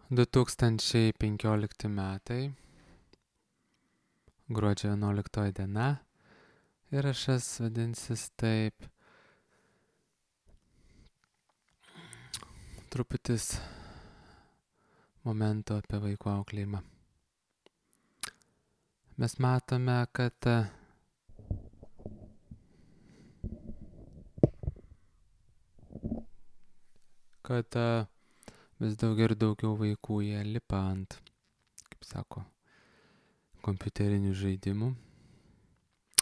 2015 metai, gruodžio 11 diena, įrašas vadinsis taip, truputis momento apie vaiko auklėjimą. Mes matome, kad vis daugiau ir daugiau vaikų jie lipa ant, kaip sako, kompiuterinių žaidimų.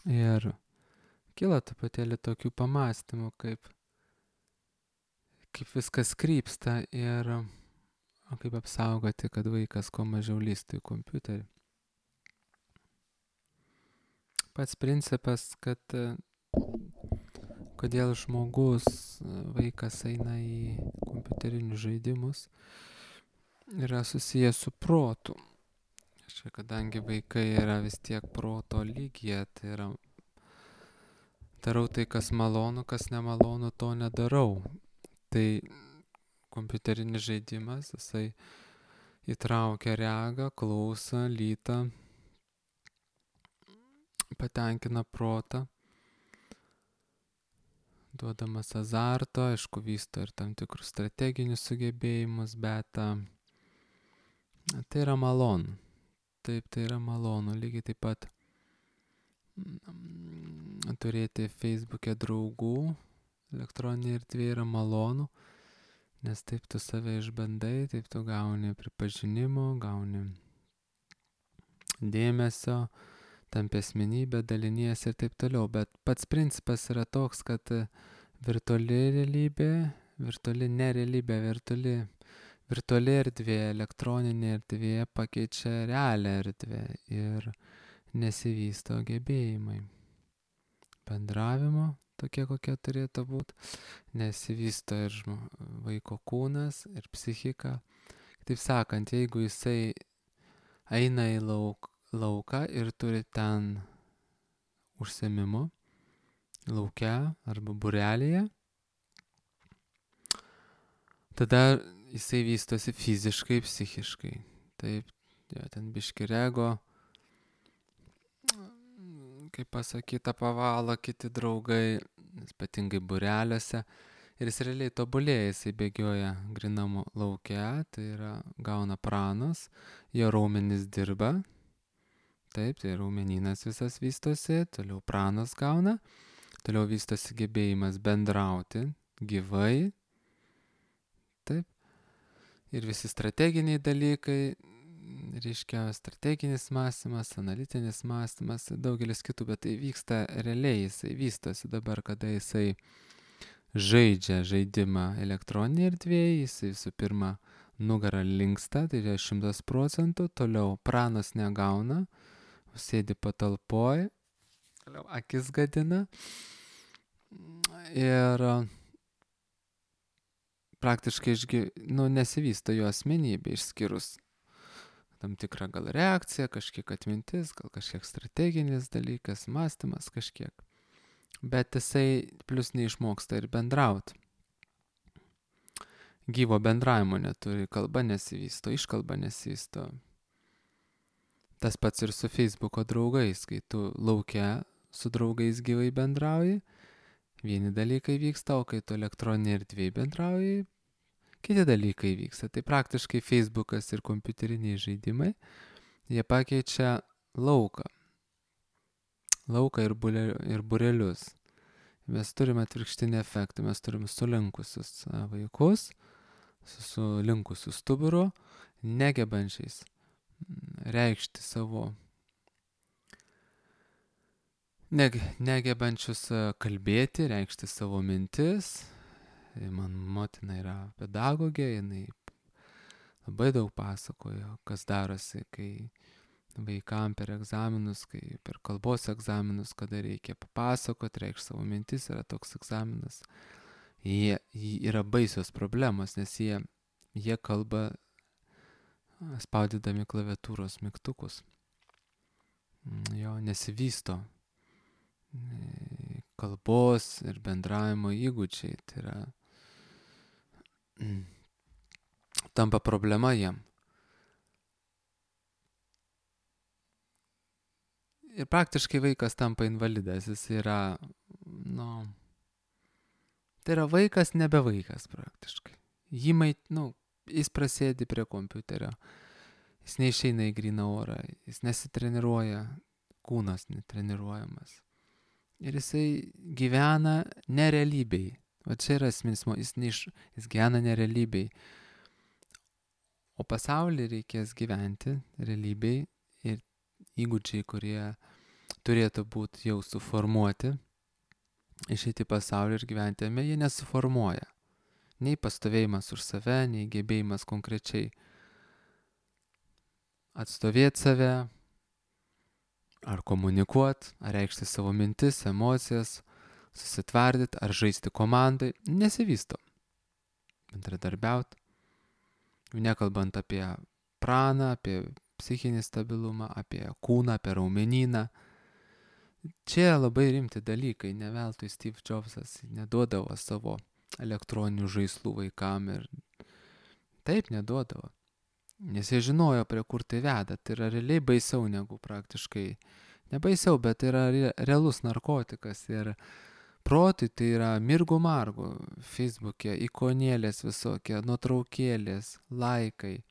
Ir kyla truputėlį tokių pamastymų, kaip viskas krypsta ir kaip apsaugoti, kad vaikas kuo mažiau lįstų į kompiuterį. Pats principas, kad kodėl vaikas eina į kompiuterinius žaidimus, yra susijęs su protu. Čia, kadangi vaikai yra vis tiek proto lygyje, tai yra darau tai, kas malonu, kas nemalonu, to nedarau. Tai kompiuterinis žaidimas, jisai įtraukia regą, klausą, lytą, patenkina protą, duodamas azarto, aišku, vysto ir tam tikrus strateginius sugebėjimus, bet tai yra malonu. Taip, tai yra malonu. Lygiai taip pat turėti Facebook'e draugų, elektroninė erdvė yra malonu, nes taip tu save išbandai, taip tu gauni pripažinimo, gauni dėmesio, tampi asmenybė, dalinies ir taip toliau. Bet pats principas yra toks, kad virtuali realybė, virtuali erdvė, elektroninė erdvė pakeičia realią erdvę ir nesivysto gebėjimai bendravimo, tokie kokie turėtų būti, nesivysto ir vaiko kūnas, ir psichika. Taip sakant, jeigu jisai eina į lauką ir turi ten užsiėmimų, lauke arba būrelyje, tada jisai vystosi fiziškai, psichiškai. Taip, ten biški rego, kaip pasakyta, pavalo kiti draugai, ypatingai būreliuose. Ir jis realiai tobulėja, jisai bėgioja grinam lauke, tai yra gauna pranos, jo raumenys dirba. Taip, tai raumenynas visas vystosi, toliau pranos gauna, toliau vystosi gebėjimas bendrauti gyvai. Taip. Ir visi strateginiai dalykai, reiškia strateginis mąstymas, analitinis mąstymas, daugelis kitų, bet tai vyksta realiai, jisai vystosi dabar, kada jisai žaidžia žaidimą elektroninėje erdvėje, jisai visų pirma nugarą linksta, tai yra 100%, toliau pranos negauna, sėdi patalpoj, toliau akis gadina ir praktiškai nesivysto jo asmenybė, išskyrus tam tikrą gal reakciją, kažkiek atmintis, gal kažkiek strateginis dalykas, mąstymas kažkiek. Bet jisai plus neišmoksta ir bendrauti. Gyvo bendravimo neturi, kalba nesivysto, iškalba nesivysto. Tas pats ir su Facebook'o draugais, kai tu lauke su draugais gyvai bendrauji, vieni dalykai vyksta, o kai tu elektroninėje erdvėje bendrauji, kiti dalykai vyksta. Tai praktiškai Facebook'as ir kompiuteriniai žaidimai, jie pakeičia lauką ir būrelius. Mes turime atvirkštinį efektą, mes turime sulinkusius vaikus, sulinkusius stuburu, negebančiais reikšti savo, negebančius kalbėti, reikšti savo mintis. Man motina yra pedagogė, jinai labai daug pasakojo, kas darosi, kai vaikam per egzaminus, kai per kalbos egzaminus, kada reikia papasakoti, reikšti savo mintis, yra toks egzaminas. Yra baisios problemos, nes jie kalba spaudydami klaviatūros mygtukus. Jo nesivysto kalbos ir bendravimo įgūdžiai, tai yra tampa problema jiem. ir praktiškai vaikas tampa invalidas, jis yra, tai yra vaikas nebe vaikas praktiškai. Jis prasėdi prie kompiuterio, jis neišeina į gryną orą, jis nesitreniruoja, kūnas netreniruojamas. Ir jisai gyvena nerealybėj. O čia yra esminis, jis gyvena nerealybėj. O pasaulį reikės gyventi realybėj ir įgūdžiai, kurie turėtų būti jau suformuoti, išeiti į pasaulį ir gyventi jame, jie nesuformuoja. Nei pastovėjimas už save, nei gebėjimas konkrečiai atstovėti save, ar komunikuoti, ar reikšti savo mintis, emocijas, susitvardyti, ar žaisti komandai, nesivysto. Bendradarbiauti, nekalbant apie praną, apie psichinį stabilumą, apie kūną, apie raumenyną. Čia labai rimti dalykai, ne veltui Steve Jobsas neduodavo savo elektroninių žaislų vaikam ir taip neduodavo. Nes jie žinojo, prie kur tai veda. Tai yra realiai baisiau negu praktiškai. Ne baisiau, bet tai yra realus narkotikas. Ir protui tai yra mirgų margų. Facebook'e ikonėlės visokie, nuotraukėlės, laikai,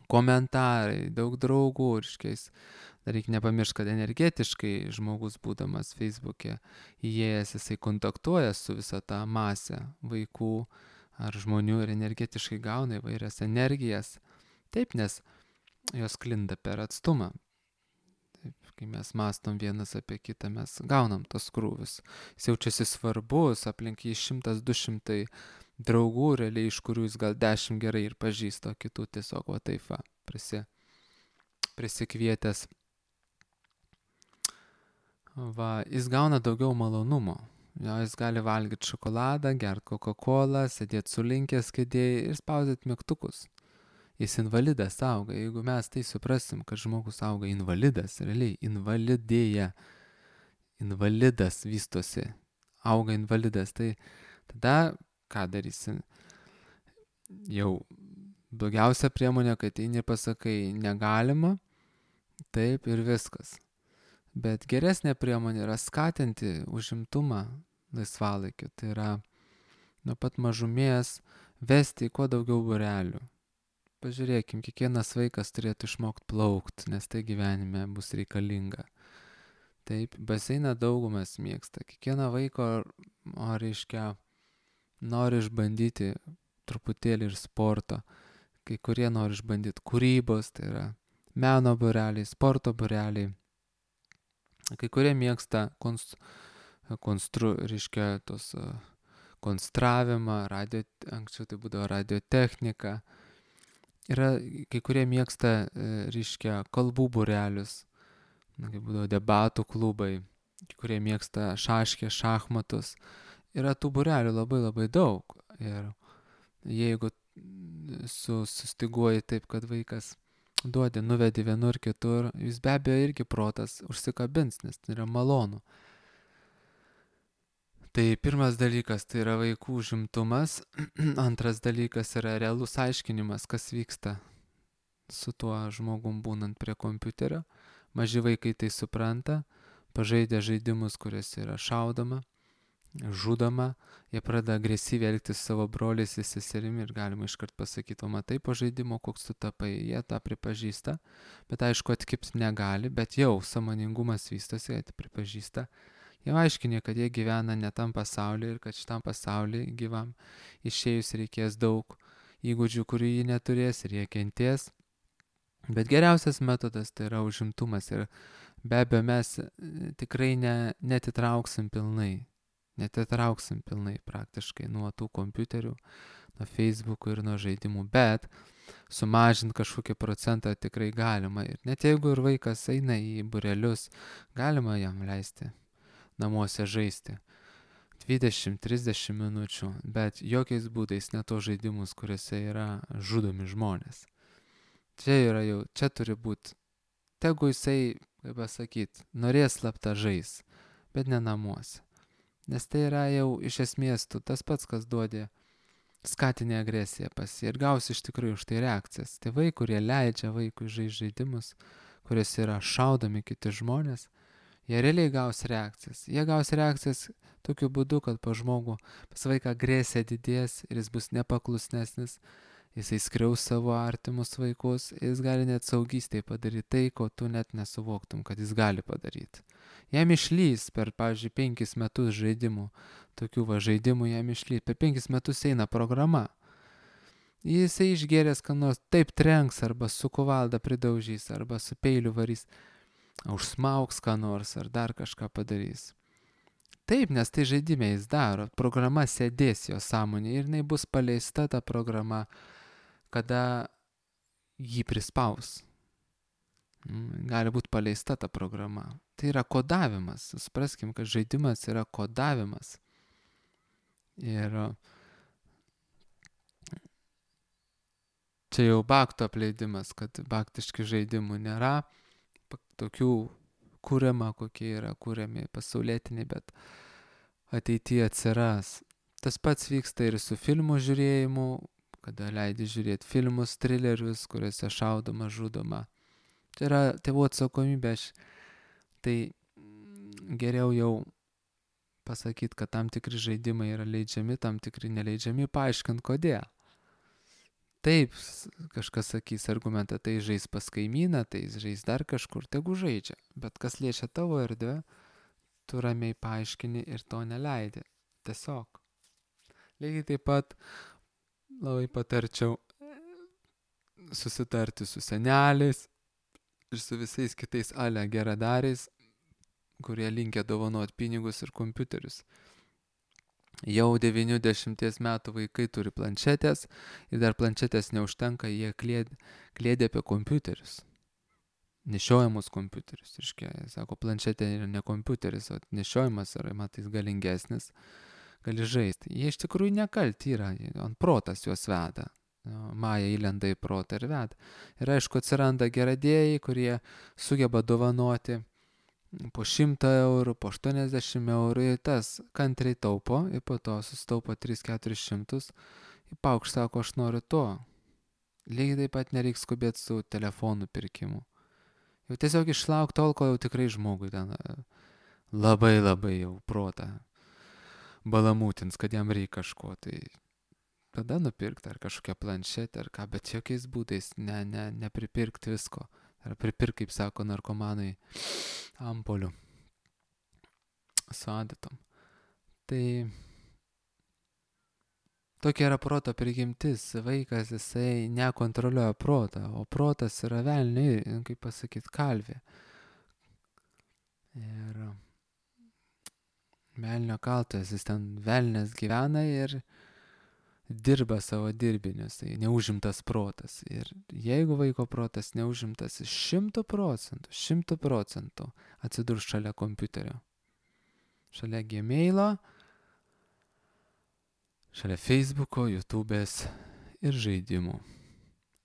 komentarai, daug draugų. Dar reikia nepamiršti, kad energetiškai žmogus būdamas Facebook'e įėjęs, jisai kontaktuoja su visą tą masę vaikų ar žmonių ir energetiškai gauna įvairias energijas. Taip, nes jos sklinda per atstumą. Taip, kai mes mastom vienas apie kitą, mes gaunam tos krūvius. Jis jaučiasi svarbus, aplink jį 100-200 draugų, realiai iš kurių jis gal 10 gerai ir pažįsta, o kitų tiesiog prisikvietęs. Jis gauna daugiau malonumo. Jis gali valgyti šokoladą, gerti Coca-Colą, sėdėti sulinkęs kėdėje ir spaudyti mygtukus. Jis invalidas auga. Jeigu mes tai suprasim, kad žmogus auga invalidas, realiai invalidėja, invalidas vystosi, auga invalidas, tai tada ką darysi? Jau blogiausia priemonė, kad eini ir pasakai negalima, taip ir viskas. Bet geresnė priemonė yra skatinti užimtumą laisvalaikiu. Tai yra nuo pat mažumės vesti kuo daugiau būrelių. Pažiūrėkim, kiekvienas vaikas turėtų išmokti plaukti, nes tai gyvenime bus reikalinga. Taip, baseiną daugumas mėgsta. Kiekvieno vaiko, nori išbandyti truputėlį ir sporto. Kai kurie nori išbandyti kūrybos, tai yra meno būreliai, sporto būreliai. Kai kurie mėgsta konstravimą, anksčiau tai būdavo radiotechnika. Yra, kai kurie mėgsta, kalbų būrelius, kaip būdavo debatų klubai, kai kurie mėgsta šachmatus. Yra tų būrelių labai labai daug. Ir jeigu sustiguoji taip, kad vaikas nuvedi vienur kitur, jis be abejo irgi protas užsikabins, nes tai yra malonu. Tai pirmas dalykas tai yra vaikų užimtumas, antras dalykas yra realus aiškinimas, kas vyksta su tuo žmogum būnant prie kompiuterio. Maži vaikai tai supranta, pažaidę žaidimus, kuriuose yra šaudoma, žudoma, jie pradeda agresyviai elgtis savo broliais ir seserimi ir galima iškart pasakyti, o matai po žaidimo, koks tu tapai, jie tą pripažįsta, bet aišku atkipti negali, bet jau sąmoningumas vystosi, jie pripažįsta. Jau aiškinė, kad jie gyvena ne tam pasaulyje ir kad šitam pasaulyje gyvam išėjus reikės daug įgūdžių, kurių jie neturės ir jie kentės. Bet geriausias metodas tai yra užimtumas ir be abejo mes tikrai netitrauksim pilnai praktiškai nuo tų kompiuterių, nuo Facebook'ų ir nuo žaidimų, bet sumažinti kažkokį procentą tikrai galima. Ir net jeigu ir vaikas eina į būrelius, galima jam leisti namuose žaisti 20-30 minučių, bet jokiais būdais ne tos žaidimus, kuriuose yra žudomi žmonės. Čia turi būti, tegu jisai, kaip pasakyti, norės slapta žais, bet ne namuose. Nes tai yra jau iš esmės tas pats, kas duodi skatinė agresija pas jį ir gausi iš tikrųjų už tai reakcijas. Tėvai, kurie leidžia vaikui žaisti žaidimus, kuriuose yra šaudomi kiti žmonės, Jie realiai gaus reakcijas. Jie gaus reakcijas tokiu būdu, kad pas vaiką agresija didės ir jis bus nepaklusnesnis, jisai skriaus savo artimus vaikus, jis gali net saugystėje padaryti tai, ko tu net nesuvoktum, kad jis gali padaryti. Jam išlys per, pavyzdžiui, 5 metus žaidimų, tokių žaidimų jam išlys, per 5 metus eina programa. Jisai išgėręs, ką nors taip trenks, arba su kuvalda pridaužys, arba su peiliu varys, užsmauks ką nors, ar dar kažką padarys. Taip, nes tai žaidime jis daro, programa sėdės jo sąmonė ir jinai bus paleista ta programa, kada jį prispaus. Gali būti paleista ta programa. Tai yra kodavimas. Supraskim, kad žaidimas yra kodavimas. Ir čia jau bakto apleidimas, kad baktiški žaidimų nėra. Tokių kuriama, kokie yra kuriami pasaulietiniai, bet ateityje atsiras. Tas pats vyksta ir su filmų žiūrėjimu, kada leidi žiūrėti filmus, trilerius, kuriuose šaudoma, žudoma. Tai yra tėvų atsakomybė. Tai geriau jau pasakyti, kad tam tikri žaidimai yra leidžiami, tam tikri neleidžiami, paaiškint kodėl. Taip, kažkas sakys argumentą, tai žais pas kaimyną, tai žais dar kažkur, tegu žaidžia. Bet kas liečia tavo erdvę, tu ramiai paaiškini ir to neleidi. Tiesiog. Lygiai taip pat labai patarčiau susitarti su seneliais ir su visais kitais geradariais, kurie linkę dovanoti pinigus ir kompiuterius. Jau 90 metų vaikai turi planšetės ir dar planšetės neužtenka, jie kliedė apie kompiuterius. Nešiojamus kompiuterius. Jie sako, planšetė yra ne kompiuteris, o nešiojamas yra, matais, galingesnis, gali žaisti. Jie iš tikrųjų nekalti yra, ant protas juos veda. Maja įlenda į protą ir veda. Ir aišku, atsiranda geradėjai, kurie sugeba dovanoti po 100 eurų, po 80 eurų, ir tas kantriai taupo, ir po to susitaupo 300-400, ir paukš sako, aš noriu to. Lygiai taip pat nereiks skubėti su telefonų pirkimu. Jau tiesiog išlauk tol, ko jau tikrai žmogui ten labai jau protą balamūtins, kad jam reikia kažko, tai tada nupirkti ar kažkokią planšetę ar ką, bet jokiais būdais nepripirkti visko. Ar pripirk, kaip sako narkomanai, ampolių su adatom. Tai tokia yra proto prigimtis. Vaikas, jisai nekontroliuoja protą, o protas yra velniai, kaip pasakyti, kalvė. Ir velnio kaltas, jis ten velnės gyvena ir dirba savo dirbinius, tai neužimtas protas. Ir jeigu vaiko protas neužimtas, 100% atsidurs šalia kompiuterio, šalia Gmailo, šalia Facebooko, YouTube'ės ir žaidimų.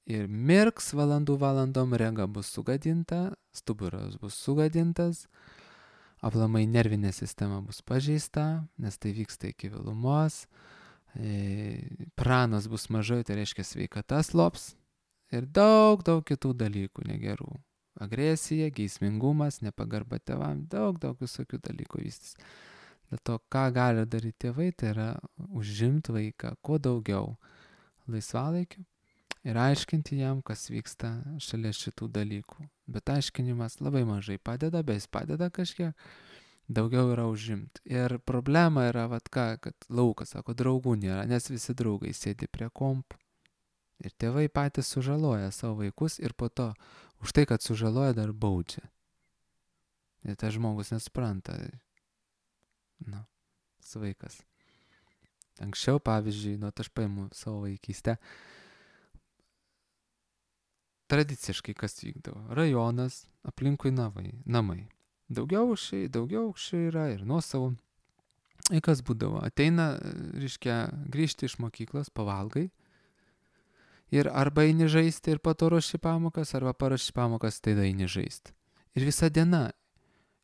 Ir mirks valandom, rega bus sugadinta, stuburas bus sugadintas, aplamai nervinė sistema bus pažeista, nes tai vyksta iki vėlumos, pranas bus mažai, tai reiškia sveikata slops ir daug kitų dalykų negerų. Agresija, geismingumas, nepagarba tėvam, daug visokių dalykų vystys. Dėl to, ką gali daryti tėvai, tai yra užimti vaiką kuo daugiau laisvalaikiu ir aiškinti jam, kas vyksta šalia šitų dalykų. Bet aiškinimas labai mažai padeda, bet jis padeda kažkiek. Daugiau yra užimti. Ir problema yra, kad laukas, sako, draugų nėra, nes visi draugai sėdi prie kompų. Ir tėvai patys sužaloja savo vaikus ir po to už tai, kad sužaloja, dar baudžia. Ir tas žmogus nespranta. Vaikas. Anksčiau, pavyzdžiui, aš paimu savo vaikystę. Tradiciškai kas vykdavo? Rajonas, aplinkui namai. Daugiaaukščiai yra ir nuosavų. Ir kas būdavo? Ateina, grįžti iš mokyklos, pavalgai. Ir arba eini žaisti ir po to ruoši pamokas, arba paraši pamokas, tada eini žaisti. Ir visa diena.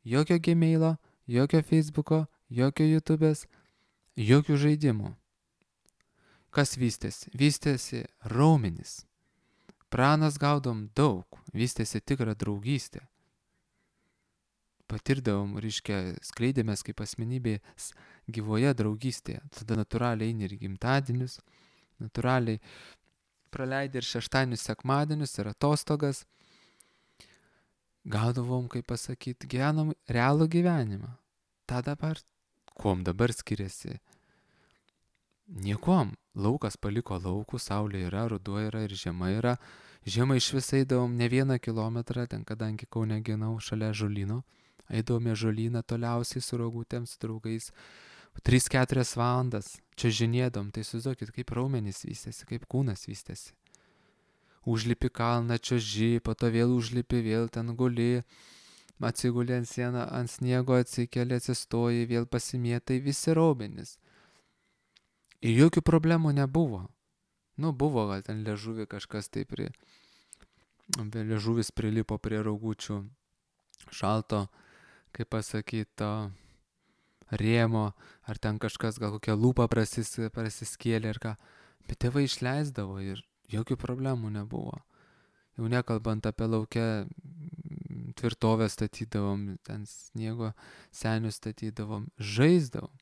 Jokio Gmailo, jokio Facebooko, jokio YouTube'ės, jokių žaidimų. Kas vystėsi? Vystėsi raumenys. Pranas gaudom daug. Vystėsi tikra draugystė. patirdavom, reiškia, skleidėmės kaip asmenybės gyvoje draugystėje. Tada natūraliai eini ir gimtadienius, natūraliai praleidai ir šeštadienius, sekmadienius ir atostogas. Gaudavom, kaip pasakyti, gyvenom realų gyvenimą. Ta dabar, kuom dabar skiriasi? Niekuom. Laukas paliko laukų, saulė yra, ruduo yra ir žiema yra. Žiemą iš vis eidavom ne 1 kilometrą, ten kadangi Kaune ginau šalia žolyno. Eidavome žolyną toliausiai su rogutėm, su draugais. 3-4 valandas čiuožinėdom, tai įsivaizduokit, kaip raumenys vystėsi, kaip kūnas vystėsi. Užlipi kalną, čiuoži, po to vėl užlipi, vėl ten guli, atsiguli ant sieną, ant sniego atsikeli, atsistoji, vėl pasimėtai, visi raumenys. Ir jokių problemų nebuvo. Nu, buvo gal ten liežuvį kažkas taip liežuvis prilipo prie raugučių šalto, kaip pasakyto, rėmo, ar ten kažkas gal kokią lūpą prasiskėlė ir ką. Bet tėvai išleisdavo ir jokių problemų nebuvo. Jau nekalbant apie laukę tvirtovę statydavom, ten sniego senius statydavom, žaisdavom.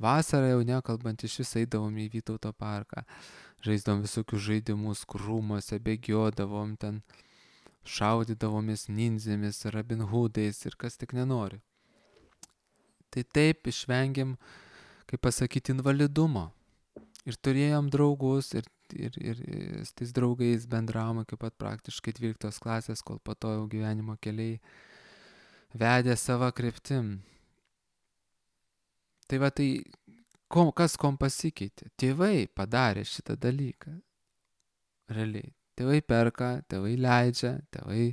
Vasarą jau nekalbant iš vis eidavom į Vytauto parką. Žaisdavom visokius žaidimus, krūmuose, bėgiodavom, ten šaudydavomės ninzėmis, Robin Hoodais ir kas tik nenori. Tai taip išvengėm, kaip pasakyti, invalidumo. Ir turėjom draugus ir su tais draugais bendravom iki pat praktiškai 12 klasės, kol po to jau gyvenimo keliai vedė savo kryptim. Tai va tai, kas kom pasikeitė? Tėvai padarė šitą dalyką. Realiai. Tėvai perka, tėvai leidžia, tėvai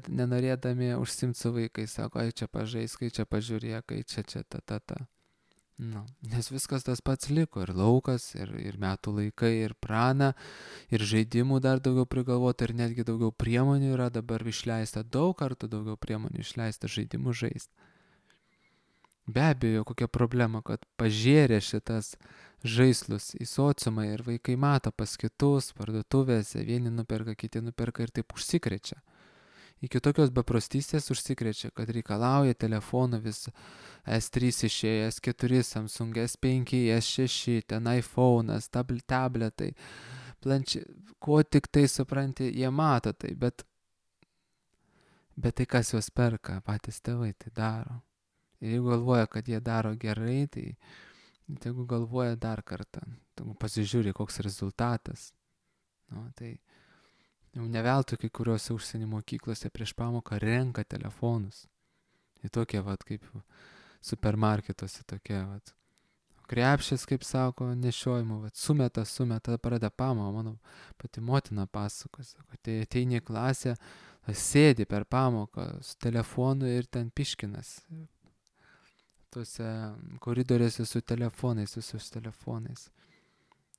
nenorėdami užsimti su vaikais, sako, ai čia pažaisk, ai čia pažiūrėk, ai čia ta. Nu, nes viskas tas pats liko, ir laukas, ir metų laikai, ir prana, ir žaidimų dar daugiau prigalvota, ir netgi daugiau priemonių yra dabar išleista, daug kartų daugiau priemonių išleista žaidimų žaisti. Be abejo, kokia problema, kad pažėrė šitas žaislus į sociumą ir vaikai mato pas kitus, parduotuvėse, vieni nuperka, kiti nuperka ir taip užsikrečia. Iki tokios beprastystės užsikrečia, kad reikalauja telefonų vis S3 išėjo, S4, Samsung, S5, S6, ten iPhone'as, tabletai, ko tik tai supranti, jie mato tai, bet tai kas juos perka, patys tėvai tai daro. Ir jeigu galvoja, kad jie daro gerai, tai jeigu galvoja dar kartą, tai pasižiūri, koks rezultatas. Nu, tai jau neveltui kai kuriuose užsienio mokyklose prieš pamoką renka telefonus. Tai tokie, kaip supermarketuose tokie, krepšės, kaip sako, nešiojimo, sumeta, pradeda pamoką, mano pati motina pasako, tai ateini į klasę, sėdi per pamoką su telefonu ir ten piškinas. Tuose koridoriuose su telefonais, visus telefonais.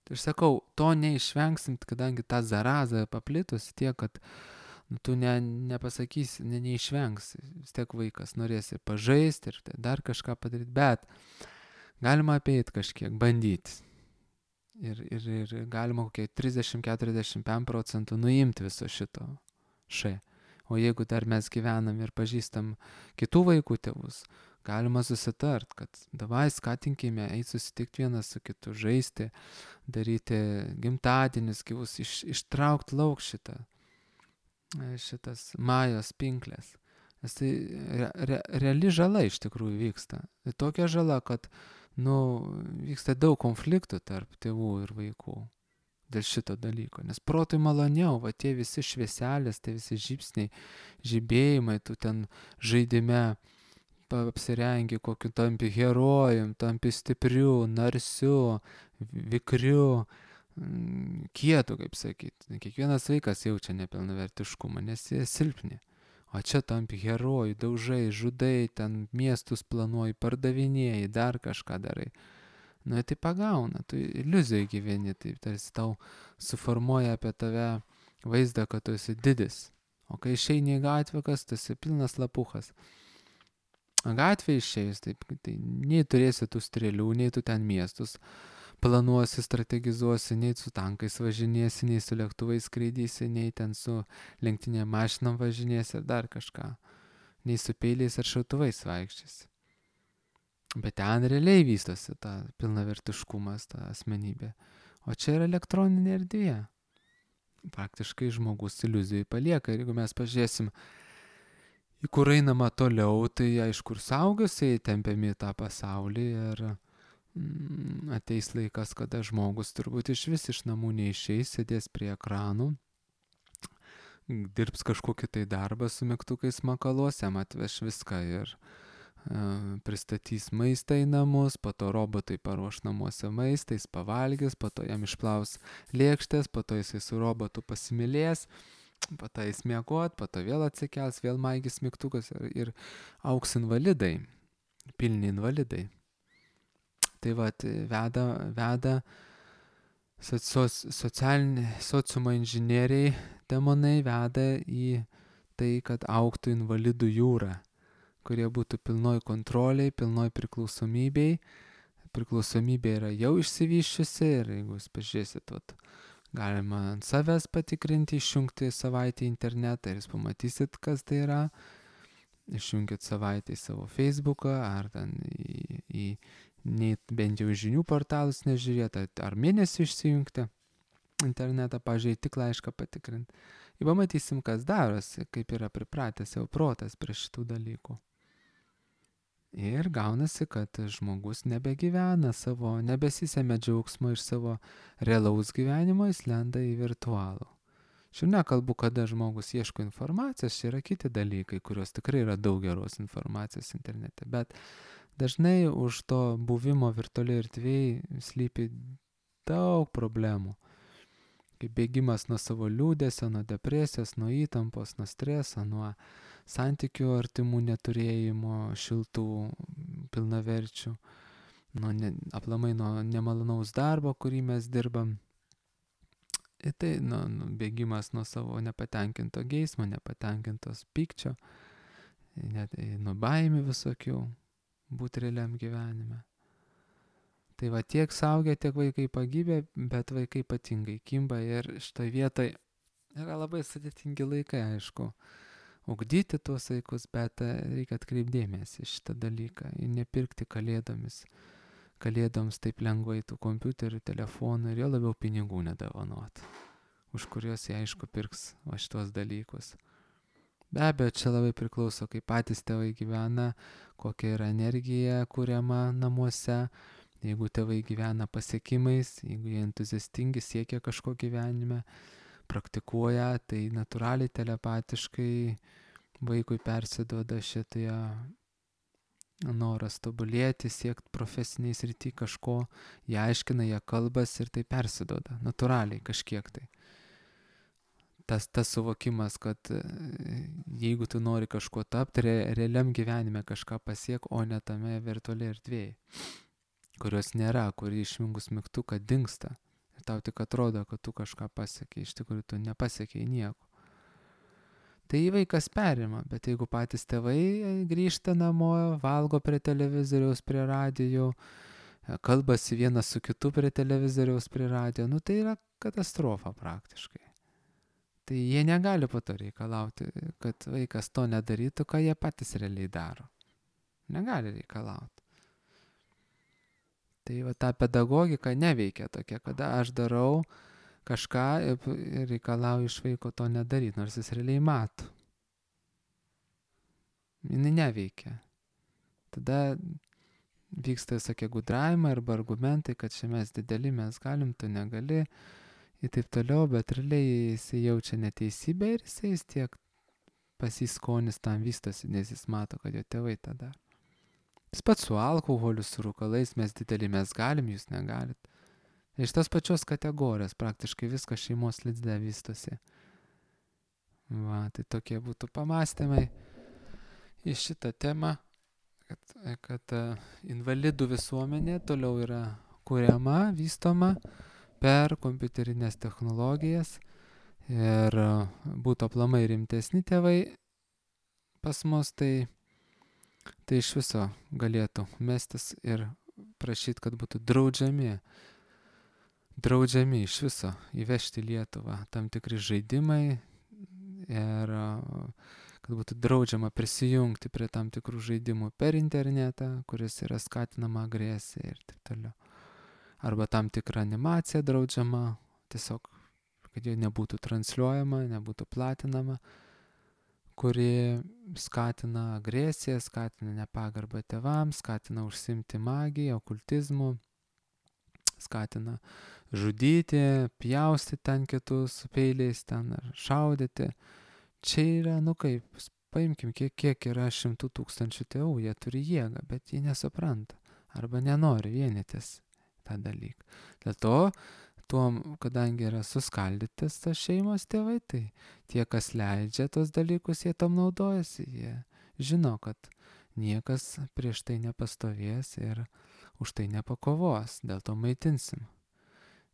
Tai aš sakau, to neišvengsim, kadangi ta zaraza paplitusi tiek, kad tu nepasakysi, neišvengsi. Vis tiek vaikas norės ir pažaisti, ir dar kažką padaryti, bet galima apeiti kažkiek, bandyti. Ir galima kokie 30-45% nuimti viso šito O jeigu dar mes gyvenam ir pažįstam kitų vaikų tėvus, galima susitart, kad davai skatinkime eiti susitikti vienas su kitu, žaisti, daryti gimtadienius gyvus, ištraukti lauk šitas majos pinklės. Nes tai reali žala iš tikrųjų vyksta. Tai tokia žala, kad vyksta daug konfliktų tarp tėvų ir vaikų dėl šito dalyko. Nes protui maloniau, tie visi švieselės, tie visi žybsniai, žibėjimai, tu ten žaidime apsirengi kokiu tampi herojum, tampi stipriu, narsiu, vikriu, kietu, kaip sakyti. Kiekvienas vaikas jaučia nepilnavertiškumą, nes jie silpni. O čia tampi herojų, daužai, žudai, ten miestus planuoji, pardavinėjai, dar kažką darai. Tai pagauna, tu iliuzijai gyveni, tai tarsi tau suformuoja apie tave vaizdą, kad tu esi didis. O kai išeini į gatvę, kas tu esi pilnas lapuchas. Gatvė išėjus, tai nei turėsi tų strėlių, nei tu ten miestus planuosi, strategizuosi, nei su tankais važinėsi, nei su lėktuvais skraidysi, nei ten su lenktinėm mašinom važinėsi ir dar kažką. nei su peiliais ar šautuvais vaikščiasi. Bet ten realiai vystosi ta pilnavertiškumas, ta asmenybė. O čia yra elektroninė erdvė. Praktiškai žmogus iliuzijai palieka. Ir jeigu mes pažiūrėsim, į kur einama toliau, tai aišku, ir suaugusiai tempiami tą pasaulį ir ateis laikas, kada žmogus turbūt iš namų neišeis, sėdės prie ekranų, dirbs kažkokį tai darbą su mygtukais makaluos, jam atveš viską ir pristatys maistą į namus, po to robotai paruoš namuose maistą, jis pavalgys, po to jam išplaus lėkštės, po to jisai su robotu pasimylės, po to jis miegot, po to vėl atsikels, vėl maigys mygtukas ir auks invalidai, pilni invalidai. Tai vat veda sociumo inžinieriai, demonai veda į tai, kad augtų invalidų jūra, kurie būtų pilnoj kontroliai, pilnoj priklausomybei. Priklausomybė yra jau išsivyščiusi ir jeigu jūs pažiūrėsit, galima ant savęs patikrinti, išjungti savaitę internetą ir jūs pamatysit, kas tai yra. Išjungit savaitę į savo Facebooką ar ten bent jau žinių portalus nežiūrėti, ar mėnesį išsijungti internetą, pažiūrėti, tik laišką patikrinti. Ir pamatysim, kas darosi, kaip yra pripratęs jau protas prie šitų dalykų. Ir gaunasi, kad žmogus nebegyvena savo, nebesisėmė džiaugsmo iš savo realaus gyvenimo, jis lenda į virtualų. Šiandien nekalbu, kada žmogus ieško informacijos, čia yra kiti dalykai, kurios tikrai yra daug geros informacijos internete, bet dažnai už to buvimo virtualiai erdvėje slypi daug problemų. Kaip bėgimas nuo savo liūdesio, nuo depresijos, nuo įtampos, nuo streso, nuo santykių artimų neturėjimo, šiltų, pilnaverčių, aplamai nuo nemalonaus darbo, kurį mes dirbam. Ir tai bėgimas nuo savo nepatenkinto geismo, nepatenkintos pykčio, nuo baimių visokių būti realiam gyvenime. Tai va tiek suaugę, tiek vaikai pagybę, bet vaikai ypatingai kimba ir šitoje vietoje yra labai sudėtingi laikai, aišku, ugdyti tuos vaikus, bet reikia atkreipdėmėsi šitą dalyką ir nepirkti kalėdoms taip lengvai tų kompiuterių, telefonų ir jo labiau pinigų nedovanot, už kuriuos jie aišku pirks šitos dalykus. Be abejo, čia labai priklauso, kaip patys tėvai gyvena, kokia yra energija kuriama namuose. Jeigu tėvai gyvena pasiekimais, jeigu jie entuziastingi, siekia kažko gyvenime, praktikuoja, tai natūraliai telepatiškai vaikui persiduoda šitie noras tobulėti, siekti profesiniai srity kažko, jie aiškina, jie kalbas ir tai persiduoda, natūraliai kažkiek tai. Tas suvokimas, kad jeigu tu nori kažko tapti, realiam gyvenime kažką pasiek, o ne tame virtualiai erdvėje, kurios nėra, kuri išjungus mygtuką dingsta. Ir tau tik atrodo, kad tu kažką pasiekiai, iš tikrųjų tu nepasiekiai nieko. Tai vaikas perima, bet jeigu patys tėvai grįžta namo, valgo prie televizoriaus, prie radijo, kalbasi vienas su kitu prie televizoriaus, prie radijo, tai yra katastrofa praktiškai. Tai jie negali po to reikalauti, kad vaikas to nedarytų, ką jie patys realiai daro. Negali reikalauti. Tai va ta pedagogika neveikia tokia, kada aš darau kažką ir reikalauju iš vaiko to nedaryti, nors jis realiai mato. Jis neveikia. Tada vyksta visokie gudravimai arba argumentai, kad čia mes dideli, mes galim, tu negali ir taip toliau, bet realiai jis jaučia neteisybę ir jis tiek pasiskonis tam vystosi, nes jis mato, kad jo tėvai tą daro. Jis pats su alkoholiu, su rūkalais, mes dideli, mes galim, jūs negalit. Iš tos pačios kategorijos praktiškai viskas šeimos lidzde vystosi. Va, tai tokie būtų pamastymai į šitą temą, kad invalidų visuomenė toliau yra kuriama, vystoma per kompiuterinės technologijas ir būtų aplamai rimtesni tėvai pas mus, tai iš viso galėtų mestis ir prašyti, kad būtų draudžiami iš viso įvežti Lietuvą tam tikri žaidimai ir kad būtų draudžiama prisijungti prie tam tikrų žaidimų per internetą, kuris yra skatinama agresija ir taip toliau. Arba tam tikra animacija draudžiama, tiesiog, kad jie nebūtų transliuojama, nebūtų platinama, kuri skatina agresiją, skatina nepagarbą tėvams, skatina užsimti magiją, okultizmu, skatina žudyti, pjaustyti ten kitus peiliais ten ar šaudyti. Čia yra, kaip, paimkim, kiek yra 100 000 tėvų, jie turi jėgą, bet jie nesupranta arba nenori vienytis tą dalyką. Dėl to, kadangi yra suskaldytas tas šeimos tėvai, tai tie, kas leidžia tos dalykus, jie tam naudojasi, jie žino, kad niekas prieš tai nepastovės ir už tai nepakovos, dėl to maitinsim.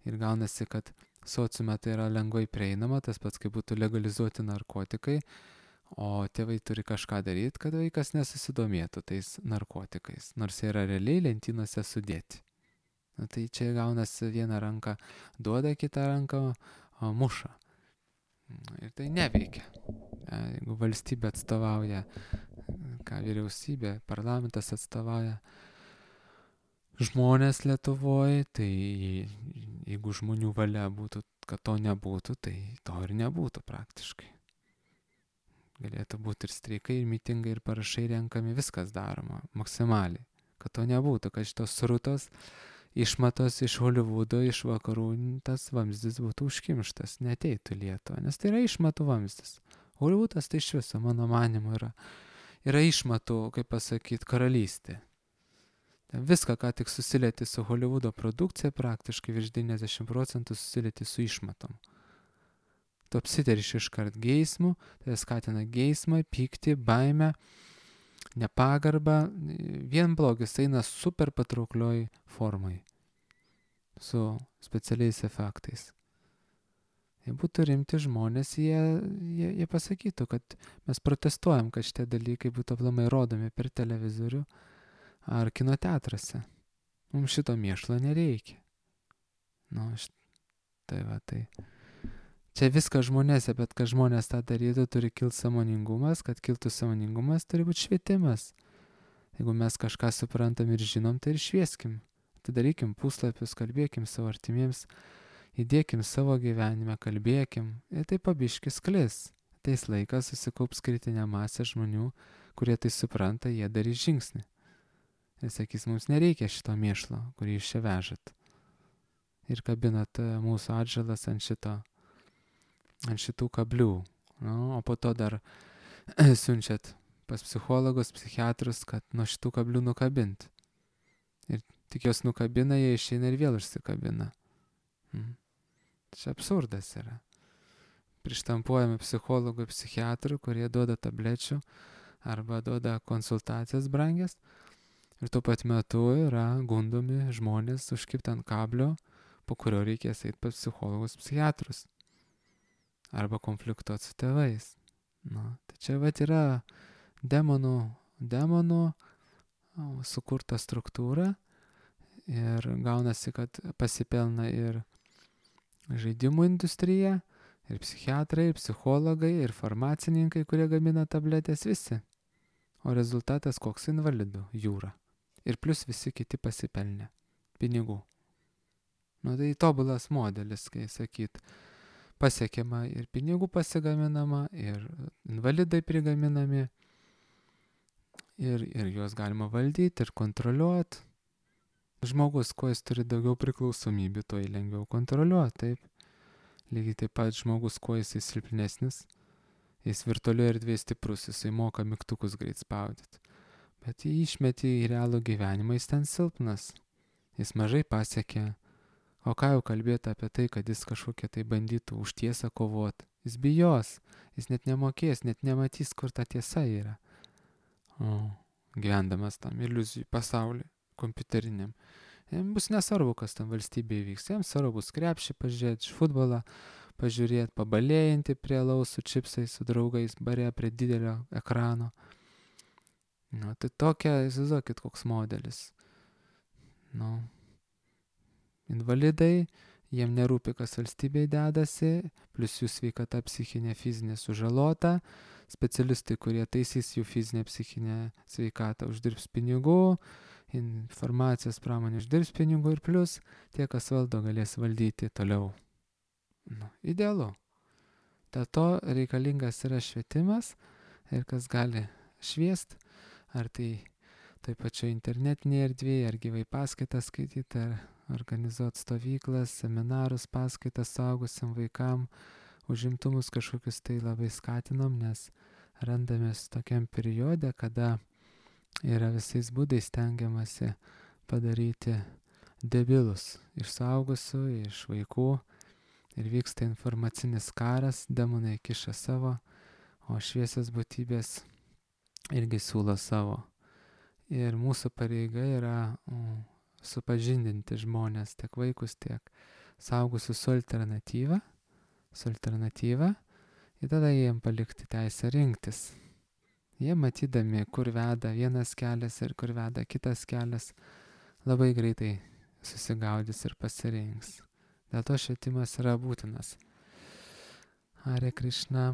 Ir gaunasi, kad sociume tai yra lengvai prieinama, tas pats kaip būtų legalizuoti narkotikai, o tėvai turi kažką daryti, kad vaikas nesusidomėtų tais narkotikais, nors jie yra realiai lentynose sudėti. Tai čia gaunasi vieną ranką duoda, kitą ranką muša. Ir tai neveikia. Jeigu valstybė atstovauja, vyriausybė, parlamentas atstovauja žmonės Lietuvoje, tai jeigu žmonių valia būtų, kad to nebūtų, tai to ir nebūtų praktiškai. Galėtų būti ir streikai, ir mitingai, ir parašai renkami, viskas daroma maksimaliai, kad to nebūtų, kad šitos srutos išmatos iš Holivudo, iš vakarų, tas vamzdis būtų užkimštas, neteitų Lietuvą, nes tai yra išmatų vamzdis. Holivudas tai iš viso, mano manimu, yra išmatų, kaip pasakyti, karalystė. Viską, ką tik susilieti su Holivudo produkcija, praktiškai virš 90% susilieti su išmatom. Tu apsiteriši iškart geismų, tai skatina geismą, pyktį, baimę, nepagarbą, vien blogis eina super patrauklioj formai, su specialiais efektais. Jei būtų rimti žmonės, jie pasakytų, kad mes protestuojam, kad šitie dalykai būtų aplamai rodomi per televizorių ar kino teatruose. Mums šito mėšlo nereikia. Tai. Čia viskas žmonėse, bet kad žmonės tą darytų, turi kilti sąmoningumas, kad kiltų sąmoningumas, turi būti švietimas. Jeigu mes kažką suprantam ir žinom, tai ir švieskim. Atidarykim puslapius, kalbėkim savo artimiems, įdėkim savo gyvenime, kalbėkim ir tai pabiški sklis. Ateis laikas, susikaups kritinė masė žmonių, kurie tai supranta, jie darys žingsnį. Ir sakys, mums nereikia šito mėšlo, kurį jūs čia vežat. Ir kabinat mūsų atžalas ant šitų kablių. O po to dar siunčiat pas psichologus, psichiatrus, kad nuo šitų kablių nukabint. Ir tik jos nukabina, jie išeina ir vėl užsikabina. Čia absurdas yra. Prištampuojami psichologų, psichiatrų, kurie duoda tablečių arba duoda konsultacijas brangias. Ir tuo pat metu yra gundomi žmonės užkibti ant kablio, po kurio reikės eiti pas psichologus, psichiatrus. Arba konfliktuoti su tėvais. Tai čia yra demonų sukurta struktūra ir gaunasi, kad pasipelna ir žaidimų industrija, ir psichiatrai, ir psichologai, ir farmacininkai, kurie gamina tabletės, visi. O rezultatas koks? Invalidų jūra. Ir plus visi kiti pasipelnė pinigų. Tai tobulas modelis, kai sakyt, pasiekiama ir pinigų pasigaminama, ir invalidai prigaminami, ir juos galima valdyti ir kontroliuoti. Žmogus, kuo jis turi daugiau priklausomybių, to jį lengviau kontroliuoti, taip. Lygiai taip pat žmogus, kuo jis silpnesnis, jis virtualioje erdvėje stiprus, jisai moka mygtukus greit spaudyti. Bet jį išmeti į realų gyvenimą, jis ten silpnas, jis mažai pasiekia. O ką jau kalbėti apie tai, kad jis kažkokia tai bandytų už tiesą kovoti. Jis bijos, jis net nemokės, net nematys, kur ta tiesa yra. Gyvendamas tam iliuzijų pasaulyje, kompiuteriniam. Jam bus nesvarbu, kas tam valstybėje vyks. Jam svarbu bus krepšį pažiūrėti, futbolą pažiūrėti, pabalėjinti prie alaus su čipsais, su draugais, bare prie didelio ekrano. Tai tokia, įsivaizduokit, koks modelis. Invalidai jiem nerūpi, kas valstybėje dedasi, plus jų sveikata psichinė, fizinė sužalota. Specialistai, kurie taisys jų fizinę, psichinę sveikatą, uždirbs pinigų, informacijos pramonė uždirbs pinigų ir plus tie, kas valdo, galės valdyti toliau. Idealu. Dėl to reikalingas yra švietimas ir kas gali šviest, ar tai toj pačioj internetinėje erdvėje, ar gyvai paskaitas skaityti, ar organizuoti stovyklas, seminarus, paskaitas suaugusiam vaikam, užimtumus kažkokius tai labai skatinam, nes randamės tokiam periode, kada yra visais būdais stengiamasi padaryti debilus iš suaugusių, iš vaikų ir vyksta informacinis karas, demonai kiša savo, o šviesios būtybės irgi siūlo savo. Ir mūsų pareiga yra supažindinti žmonės, tiek vaikus, tiek suaugusius su alternatyva, ir tada jiem palikti teisę rinktis. Jie matydami, kur veda vienas kelias ir kur veda kitas kelias, labai greitai susigaudys ir pasirinks. Dėl to švietimas yra būtinas. Hare Krishna.